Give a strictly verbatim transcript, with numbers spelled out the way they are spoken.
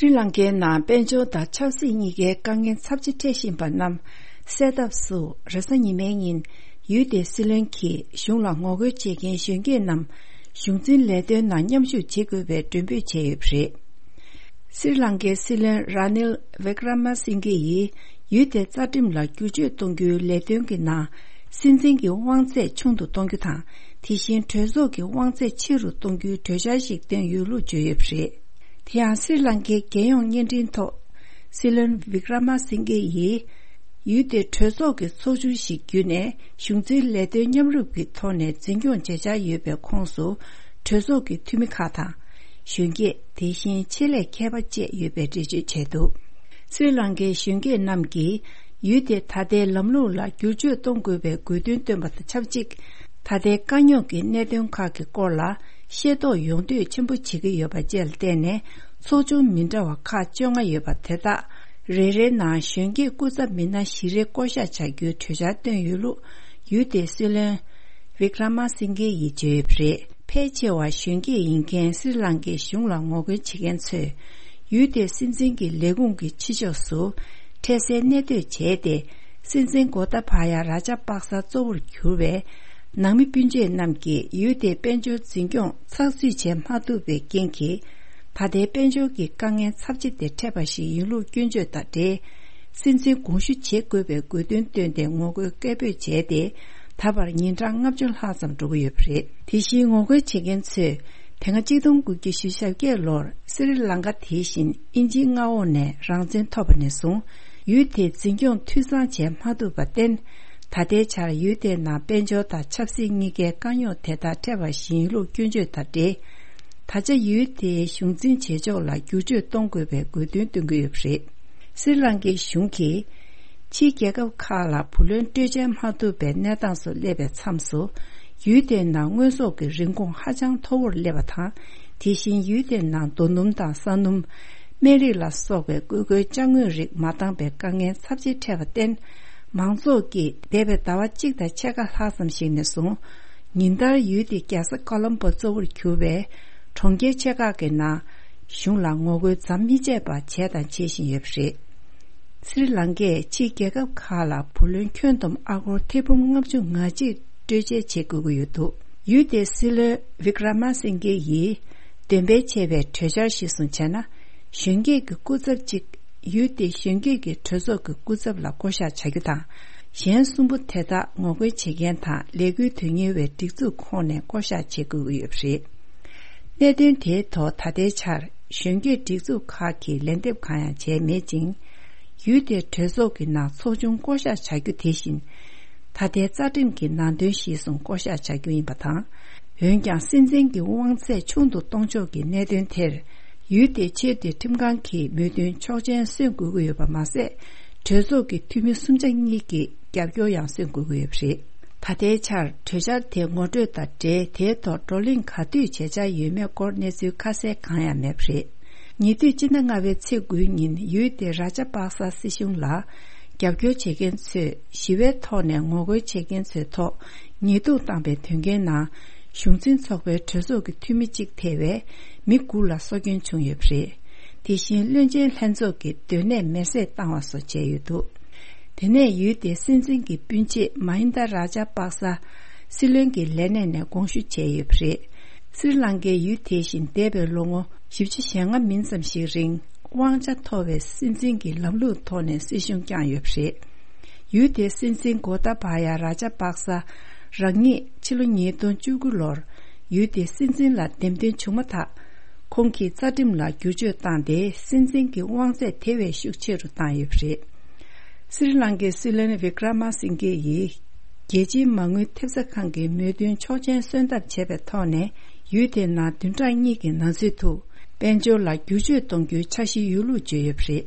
སྲི་ལང་ཀའི་ནང་དཔལ་འབྱོར་དང་ཆབ་སྲིད་གཉིས་ཀའི་དཀའ་ངལ་ཚབས་ཆེ་འཕྲད་བཞིན་པ་རྣམས་སེལ་ཐབས་སུ། རེས་གཟའ་ཉི་མའི་ཉིན་ཡུལ་དེའི་སྲིད་བློན་གྱིས་གཞུང་ལ་ངོ་རྒོལ་བྱེད་མཁན་གཞོན་སྐྱེས་རྣམས་གཞུང་འཛིན་ལས་དོན་ནང་མཉམ་ཞུགས་བྱེད་དགོས་པའི་མགྲོན་འབོད་བྱས་ཡོད་པ་རེད། སྲི་ལང་ཀའི་སྲིད་བློན་ར་ནིལ་ཝི་ཀྲ་མ་སིང་གྷེ་ཡིས་ཡུལ་དེའི་རྩ་ཁྲིམས་ལ་བསྒྱུར་བཅོས་གཏོང་རྒྱུའི་ལས་དོན་གྱི་ནང་སྲིད་འཛིན་གྱི་དབང་ཚད་ཆུང་དུ་གཏོང་རྒྱུ་དང་། དེ་བཞིན་གྲོས་ཚོགས་ཀྱི་དབང་ཚད་ཆེ་རུ་གཏོང་རྒྱུའི་གྲོས་འཆར་ཞིག་བཏོན་ཡོད་ལུགས་བརྗོད་ཡོད་པ་རེད། དེ་ཡང་སྲི་ལང་ཀའི་རྒྱལ་ཡོངས་བརྙན་འཕྲིན་ཐོག་སྲིད་བློན་ཝི་ཀྲ་མ་སིང་གྷེ་ཡིས་ཡུལ་དེའི་གྲོས་ཚོགས་ཀྱི་ཚོགས་ཆུང་ཞིག་བརྒྱུད་ནས་གཞུང་འཛིན་ལས་དོན་མཉམ་རུབ་ཀྱི་ཐོག་ནས་འཛིན་སྐྱོང་བྱེད་འཆར་ཡོད་པའི་ཁོངས་སུ་གྲོས་ཚོགས་ཀྱི་འཐུས་མི་ཁག་དང་། གཞོན་སྐྱེས། དེ་བཞིན་ཆེད་ལས་མཁས་པ་བཅས་ཡོད་པའི་འགྲེལ་བརྗོད་བྱས་འདུག་སྲི་ལང་ཀའི་གཞོན་སྐྱེས་རྣམས་ཀྱིས་ཡུལ་དེ་ད་ལྟའི་ལམ་ལུགས་ལ་བསྒྱུར་བཅོས་གཏོང་དགོས་པའི་དགོས་འདུན་བཏོན་པ་དང་ཆབས་ཅིག་ད་ལྟའི་དཀའ་རྙོག་གི་གནད་དོན་ཁག་གི་སྐོར་ལ་ཤེས་རྟོགས་ཡོང་འདོད་ཆེན་པོ་བྱེད་ཀྱི་ཡོད་པ་བཅས་ལ་བརྟེན་ནས། ཚོགས་ཆུང་མི་འདྲ་བ་ཁག་བཅོ་ལྔ་ཡོད་པ་དེ་དག་རེ་རེའི་ནང་གཞོན་སྐྱེས་སྐུ་ཚབ་མི་སྣ་བཞི་རེ་བསྐོ་གཞག་བྱ་རྒྱུའི་གྲོས་འཆར་བཏོན་ཡོད་ལུགས་ཡུལ་དེའི་སྲིད་བློན་ཝི་ཀྲ་མ་སིང་གྷེ་ཡིས་བརྗོད་ཡོད་པ་རེད། ཕལ་ཆེ་བ་གཞོན་སྐྱེས་ཡིན་མཁན་སྲི་ལང་ཀའི་གཞུང་ལ་ངོ་རྒོལ་བྱེད་མཁན་ཚོས་ཡུལ་དེའི་སྲིད་འཛིན་གྱི་ལས་ཁུངས་ཀྱི་ཕྱི་ཕྱོགས་སུ་འཕྲལ་སེལ་གནས་སྡོད་བྱས་ཏེ། སྲིད་འཛིན་གོ་ཏཱ་བྷ་ཡ་ར་ཇ་པག་ས་གཙོ་བོར་གྱུར་བའི་ནང་མི་སྤུན་མཆེད་རྣམས་ཀྱིས་ཡུལ་དེའི་དཔལ་འབྱོར་འཛིན་སྐྱོང་ཚགས་ཚུད་བྱེད་མ་ཐུབ་པའི་རྐྱེན་གྱིས། ད་ལྟའི་དཔལ་འབྱོར་གྱི་དཀའ་ངལ་ཚབས་ཆེ་དེ་འཕྲད་པ་ཞིག་ཡིན་ལུགས་སྐྱོན་བརྗོད་དང་འབྲེལ། སྲིད་འཛིན་དགོངས་ཞུ་བྱེད་དགོས་པའི་དགོས་འདུན་བཏོན་ཏེ་ངོ་རྒོལ་སྐད་འབོད་བྱས་ཏེ། ད་བར་ཉིན་གྲངས་ལྔ་བཅུ་ལྷག་ཙམ་འགྲོ་གི་ཡོད་པ་རེད། དེ་བཞིན་ངོ་རྒོལ་བྱེད་མཁན་ཚོས་དེ་སྔ་གཅིག་སྟོང་དགུ་བརྒྱ་ཞེ་བརྒྱད་ལོར་སི་རི་ལང་ཀ་དེ་བཞིན་དབྱིན་ཇིའི་མངའ་འོག་ནས་རང་བཙན་ཐོབ་པ་ནས་བཟུང་ཡུལ་དེའི་འཛིན་སྐྱོང་འཐུས་ཚང་བྱས་མ་ཐུབ་པར་བརྟེན། ད་ལྟའི་ཆར་ཡུལ་དེའི་ནང་དཔལ་འབྱོར་དང་ཆབ་སྲིད་གཉིས་ཀའི་དཀའ་རྙོག་དེ་དག་འཕྲད་པ་ཞིག་ཡིན་ལུགས་སྐྱོན་བརྗོད་དང་འབྲེལ། ད་ཆ་ཡུལ་དེའི་གཞུང་འཛིན་བྱེད་ཕྱོགས་ལ་བསྒྱུར་བཅོས་གཏོང་དགོས་པའི་དགོས་འདུན་བཏོན་གྱི་ཡོད་པ་རེད། སི་རི་ལང་ཀའི་གཞུང་གིས་ཕྱིའི་རྒྱལ་ཁབ་ཁག་ལ་བུ་ལོན་སྤྲོད་འཇལ་མ་ཐུབ་པའི་གནས་སྟངས་སུ་སླེབས་པའི་མཚམས་སུ། ཡུལ་དེའི་ནང་དངོས་ཟོག་གི་རིན་གོང་ཧ་ཅང་མཐོ་བོར་སླེབས་པ་དང་། དེ་བཞིན་ཡུལ་དེའི་ནང་རྡོ་སྣུམ་དང་ས་སྣུམ། སྨན་རིགས་ལ་སོགས་པའི་དགོས་མཁོའི་ཅ་དངོས་རིགས་མ་འདང་པའི་དཀའ་ངལ་ཚབས་ཆེ་འཕྲད་པར་བརྟེན། མང་ཚོགས་ཀྱིས་འདས་པའི་ཟླ་བ་གཅིག་དང་ཕྱེད་ཀ་ལྷག་ཙམ་ཞིག་ནས་བཟུང་། ཉིན་ལྟར་ཡུལ་དེའི་རྒྱལ་ས་ཀོ་ལོམ་པོ་གཙོ་བོར་གྱུར་པའི་གྲོང་ཁྱེར་ཆེ་ཁག་གི་ནང་གཞུང་ལ་ངོ་རྒོལ་མཚམས་མི་ཆད་པར་བྱས་དང་བྱེད་བཞིན་ཡོད་པ་རེད། སི་རི་ལང་ཀས་ཕྱིའི་རྒྱལ་ཁབ་ཁག་ལ་བུ་ལོན་ཁྱོན་བསྡོམས་ཨ་སྒོར་ཐེར་འབུམ་ལྔ་བཅུ་ང་གཅིག་སྤྲོད་འཇལ་བྱེད་དགོས་ཀྱི་ཡོད་འདུག་ཡུལ་དེའི་སྲིད་བློན་ཝི་ཀྲ་མ་སིང་གེ་ཡིས་འདོན་སྤེལ་བྱས་པའི་གྲོས་འཆར་གཞིར་བཟུང་བྱས་ན། གཞོན་སྐྱེས་ཀྱི་སྐུ་ཚབ་གཅིག་ཡུལ་དེའི་གཞོན་སྐྱེས་ཀྱི་གྲོས་ཚོགས་ཀྱི་སྐུ་ཚབ་ལ་བསྐོ་གཞག་བྱ་རྒྱུ་དང་། གཞན་གསུམ་པོ་དེ་དག་ངོ་རྒོལ་བྱེད་མཁན་དང་ལས་འགུལ་དོན་གཉེར་བའི་སྒྲིག་འཛུགས་ཁོངས་ནས་བསྐོ་གཞག་བྱེད་དགོས་ཀྱི་ཡོད་པ་རེད། གནད་དོན་དེའི་ཐོག་ད་ལྟའི་ཆར་གཞོན་སྐྱེས་སྒྲིག་འཛུགས་ཁག་གིས་ལན་འདེབས་གང་ཡང་བྱས་མེད་ཅིང་། ཡུལ་དེའི་གྲོས་ཚོགས་ཀྱི་ནང་ཚོགས་ཆུང་བསྐོ་གཞག་བྱ་རྒྱུ་དེ་བཞིན། ད་ལྟའི་རྩ་ཁྲིམས་ཀྱི་ནང་དོན་གཞིར་བཟུང་བསྐོ་གཞག་བྱ་རྒྱུ་ཡིན་པ་དང་། འོན་ཀྱང་སྲིད་འཛིན་གྱི་དབང་ཚད་ཆུང་དུ་གཏོང་ཕྱོགས་ཀྱི་གནད་དོན་དེར། ཡུལ་དེའི་ཆེས་མཐོའི་ཁྲིམས་ཁང་གིས་མོས་མཐུན་ཆོག་མཆན་སོན་དགོས་ཀྱི་ཡོད་པ་མ་ཟད། གྲོས་ཚོགས་ཀྱི་འཐུས་མི་གསུམ་ཆ་གཉིས་ཀྱིས་རྒྱབ་སྐྱོར་ཡང་སོན་དགོས་ཀྱི་ཡོད་པ་རེད། ད་ལྟའི་ཆར་གྲོས་འཆར་དེ་ངོ་སྤྲོད་དང་འབྲེལ་དེའི་ཐོག་བགྲོ་གླེང་ག་དུས་བྱེད་འཆར་ཡོད་མེད་སྐོར་གནས་ཚུལ་ཁ་གསལ་གང་ཡང་མེད་པ་རེད། ཉེ་དུས་སྤྱི་ཟླ་ལྔ་པའི་ཚེས་དགུའི་ཉིན་ཡུལ་དེའི་ར་ཇ་པག་ས་སྲིད་གཞུང་ལ་རྒྱབ་སྐྱོར་བྱེད་མཁན་ཚོས་ཞི་བའི་ཐོག་ནས་ངོ་རྒོལ་བྱེད་མཁན་ཚོའི་ཐོག་ཉེས་རྡུང་བཏང་པའི་དོན་རྐྱེན་ནང་གཞུང་འཛིན་ཚོགས་པའི་གྲོས་ཚོགས་ཀྱི་འཐུས་མི་གཅིག་ཐེ་བའི་མི་དགུ་ལ་སྲོག་སྐྱོན་བྱུང་ཡོད་པ་རེད། དེ་བཞིན་བློན་ཆེན་ལྷན་ཚོགས་ཀྱི་སྡོད་གནས་མེར་སྲེག་བཏང་བ་སོགས་བྱས་ཡོད་འདུག་དེ་ནས་ཡུལ་དེའི་སྲིད་འཛིན་གྱི་སྤུན་མཆེད་མ་ཧིན་དཱ་ར་ཇ་པག་ས་སྲིད་བློན་གྱི་ལས་གནས་ནས་དགོངས་ཞུ་བྱས་ཡོད་པ་རེད། སྲི་ལང་ཀའི་ཡུལ་དེ་བཞིན་འདས་པའི་ལོ་ངོ་བཞི་བཅུ་ཞེ་ལྔ་མིན་ཙམ་ཞིག་རིང་དབང་ཆ་མཐོ་བའི་སྲིད་འཛིན་གྱི་ལམ་ལུགས་ཐོག་ནས་སྲིད་གཞུང་བསྐྱངས་ཡོད་པ་རེད། ཡུལ་དེའི་སྲིད་འཛིན་གོ་ཏཱ་བྷ་ཡ་ར་ཇ་པག་ས་རང་ཉིད་ཕྱི་ལོ་ཉིས་སྟོང་བཅུ་དགུ་ལོར་ཡུལ་དེའི་སྲིད་འཛིན་ལ་འདེམས་ཐོན་བྱུང་མ་ཐག་ཁོང་གིས་རྩ་ཁྲིམས་ལ་བསྒྱུར་བཅོས་བཏང་སྟེ་སྲིད་འཛིན་གྱི་དབང་ཚད་དེ་བས་ཤུགས་ཆེ་རུ་བཏང་ཡོད་པ་རེད། སྲི་ལང་ཀའི་སྲིད་བློན་ཝི་ཀྲ་མ་སིང་གེ་ཡིས་རྒྱལ་སྤྱིའི་མ་དངུལ་ཐེབས་རྩ་ཁང་གི་མོས་མཐུན་ཆོག་མཆན་སོན་ཐབས་བྱས་པའི་ཐོག་ནས་ཡུལ་དེའི་ནང་བདུན་ཕྲག་གཉིས་ཀྱི་ནང་ཚུད་དུ་དཔལ་འབྱོར་ལ་བསྒྱུར་བཅོས་གཏོང་རྒྱུའི་འཆར་གཞི་ཡོད་ལུགས་བརྗོད་ཡོད་པ་རེད།